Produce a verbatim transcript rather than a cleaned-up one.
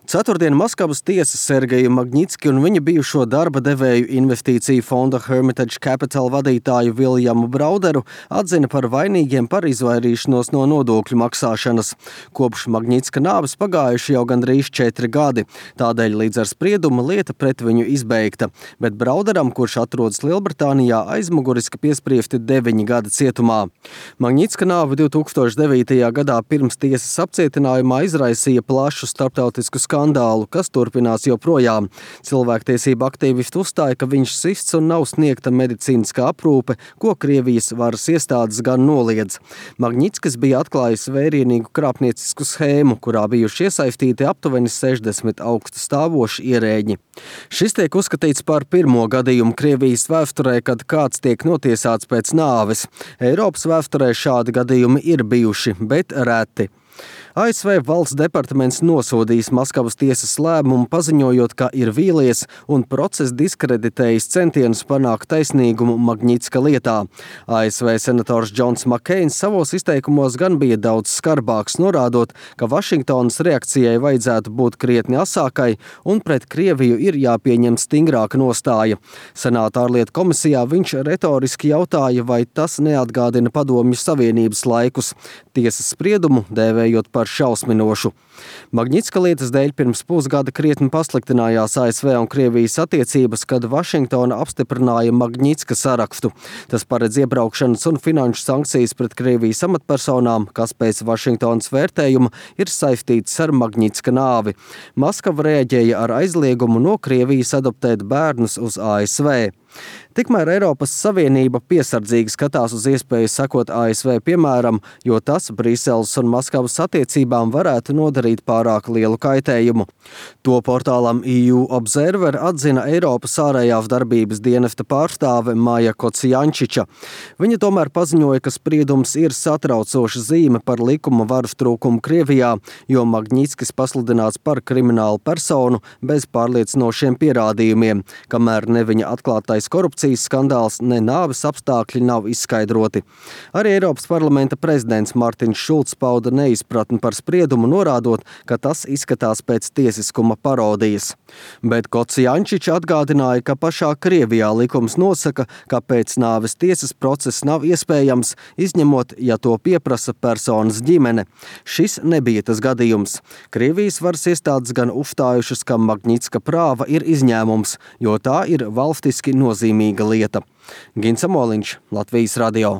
Ceturtdien Maskavas tiesa Sergeju Magnitski un viņa bijušo darba devēju investīciju fonda Hermitage Capital vadītāju Viljamu Brauderu atzina par vainīgiem par izvairīšanos no nodokļu maksāšanas. Kopš Magnitska nāves pagājuši jau gandrīz četri gadi, tādēļ līdz ar spriedumu lieta pret viņu izbeigta, bet Brauderam, kurš atrodas Lielbritānijā, aizmuguriski piespriesti deviņi gadi cietumā. Magnitska nāve divtūkstoš devītajā gadā pirms tiesas apcietinājumā izraisīja plašu starptautisku skandālu. skandālu, kas turpinās joprojām. Cilvēktiesība aktīvisti uzstāja, ka viņš sists un nav sniegta medicīniskā aprūpe, ko Krievijas varas iestādes gan noliedz. Magnitskis bija atklājis vērienīgu krāpniecisku schēmu, kurā bijuši iesaistīti aptuveni sešdesmit augsta stāvoši ierēģi. Šis tiek uzskatīts par pirmo gadījumu Krievijas vēsturē, kad kāds tiek notiesāts pēc nāves. Eiropas vēsturē šādi gadījumi ir bijuši, bet reti. A S V valsts departaments nosodījis Maskavas tiesas lēmumu, paziņojot, ka ir vīlies un process diskreditējis centienus panākt taisnīgumu Magnitska lietā. A S V senators Džons Makeins savos izteikumos gan bija daudz skarbāks, norādot, ka Vašingtonas reakcijai vajadzētu būt krietni asākai un pret Krieviju ir jāpieņem stingrāka nostāja. Senāta ārlietu komisijā viņš retoriski jautāja, vai tas neatgādina Padomju Savienības laikus, tiesas spriedumu dēvējot par šausminošu. Magnitska lietas dēļ pirms pusgada krietni pasliktinājās A S V un Krievijas attiecības, kad Vašingtona apstiprināja Magnitska sarakstu. Tas paredz iebraukšanas un finanšu sankcijas pret Krievijas amatpersonām, kas pēc Vašingtonas vērtējuma ir saistītas ar Magnitska nāvi. Maskava reaģēja ar aizliegumu no Krievijas adoptēt bērnus uz A S V. Tikmēr Eiropas Savienība piesardzīgi skatās uz iespēju sekot A S V piemēram, jo tas Briseles un Maskavas attiecībām varētu nodarīt pārāk lielu kaitējumu. To portālam E U Observer atzina Eiropas ārējās darbības dienesta pārstāve Maja Kocijančiča. Viņa tomēr paziņoja, ka spriedums ir satraucoša zīme par likuma varas trūkumu Krievijā, jo Magnitskis pasludināts par kriminālu personu bez pārliecinošiem pierādījumiem, kamēr ne viņa atklātais korupcijas skandāls, ne nāves apstākļi nav izskaidroti. Arī Eiropas parlamenta prezidents Martins Šulcs pauda neizpratni par spriedumu, norādot, ka tas izskatās pēc tiesiskuma parodijas. Bet Kocijančiča atgādināja, ka pašā Krievijā likums nosaka, ka pēc nāves tiesas process nav iespējams, izņemot, ja to pieprasa personas ģimene. Šis nebija tas gadījums. Krievijas varas iestādes gan uzstājušas, ka Magnitska prāva ir izņēmums, jo tā ir valstiski nozīmīga lieta. Gins Amoliņš, Latvijas radio.